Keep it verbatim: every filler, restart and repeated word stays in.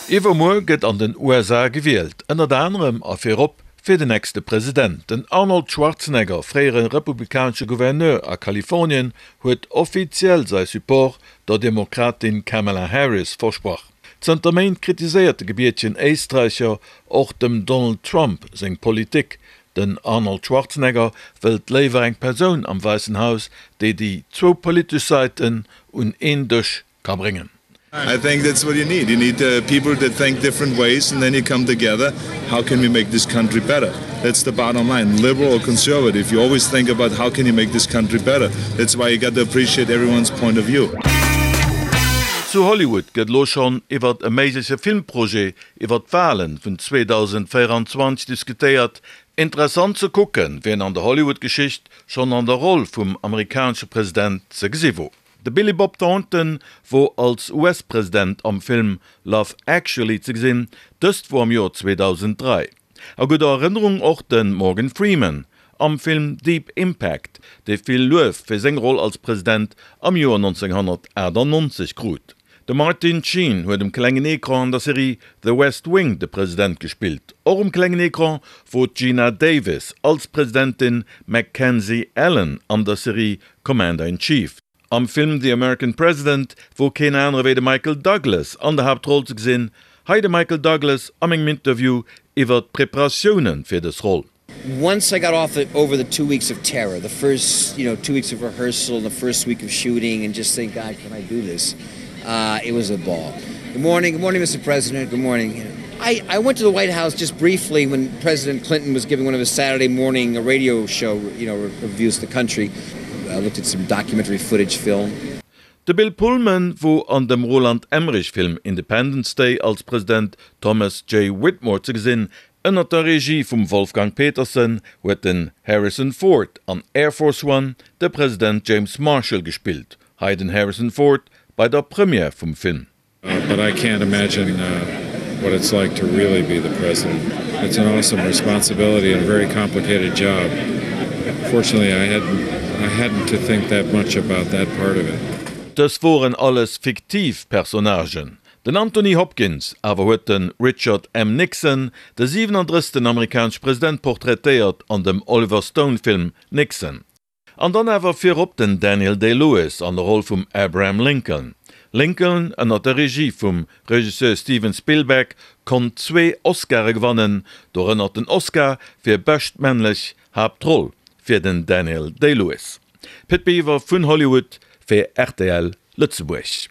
Iwwermuer gëtt an den U S A gewielt, ënnert anerem a virop fir den nächste President. Den Arnold Schwarzenegger, fréiere republikanesche Gouverneur a Kalifornien, huet offiziell säi Support der Demokratin Kamala Harris versprach. Zënter Méint kritiséiert de gebiertegen Éisträicher och dem Donald Trump seng Politik. Den Arnold Schwarzenegger wëllt léiwer eng Persoun am Wäissen Haus, déi déi zwou politesch Säiten un een Dësch ka bréngen. I think that's what you need. You need, uh, people that think different ways and then you come together. How can we make this country better? That's the bottom line. Liberal or conservative, you always think about how can you make this country better. That's why you got to appreciate everyone's point of view. Zu Hollywood gëtt elo schonn iwwert e méigleche Filmprojet iwwert d'Walen vun zweedausendvéierundzwanzeg diskutéiert. Interessant ze kucken, wien an der Hollywood-Geschicht schonn an der Roll vum amerikanesche President ze gesi wor. De Billy Bob Thornton wor als U S-President am Film Love Actually ze gesinn, dëst wor am Joer zweedausend dräi. A gudder Erënnerung och de Morgan Freeman am Film Deep Impact, dee vill Luef fir seng Roll als President am Joer nonzénghonnertaachtannonzeg krut. De Martin Sheen huet um klengen Ecran an der Serie The West Wing de President gespillt. Och um klengen Ecran wor d'Geena Davis als Presidentin Mackenzie Allen an der Serie Commander in Chief. Am Film The American President wor keen anere wéi de Michael Douglas an der Haaptroll ze gesinn. Hei de Michael Douglas am engem Interview iwwer d'Preparatioune fir dës Roll. Once I got off the, over the two weeks of terror, the first, you know, two weeks of rehearsal and the first week of shooting and just think, God, can I do this? Uh, it was a ball. Good morning, good morning, Mister President, good morning. I, I went to the White House just briefly when President Clinton was giving one of his Saturday morning radio show, you know, reviews the country. I looked at some documentary footage film. De Bill Pullman wor an dem Roland Emmerich-Film Independence Day als President Thomas J. Whitmore ze gesinn. Ënnert der Regie vum Wolfgang Petersen huet den Harrison Ford an Air Force One de President James Marshall gespillt. Hei den Harrison Ford bei der Première vum Film. Uh, but I can't imagine, uh, what it's like to really be the president. It's an awesome responsibility and a very complicated job. Fortunately, I hadn't, I hadn't to think that much about that part of it. Dës woren alles fiktiv Personnagen. Den Anthony Hopkins awer huet den Richard M. Nixon, de siewenunddrëssegsten amerikanesche President, portraitéiert an dem Oliver Stone-Film Nixon. An dann awer virop den Daniel Day-Lewis an der Roll vum Abraham Lincoln. Lincoln ënner der Regie vum Regisseur Steven Spielberg konnt zwee Oscare gewannen, dorënner den Oscar fir bescht männlech Haaptroll fir den Daniel Day-Lewis. Pit Biwer vun Hollywood fir R T L Lëtzebuerg.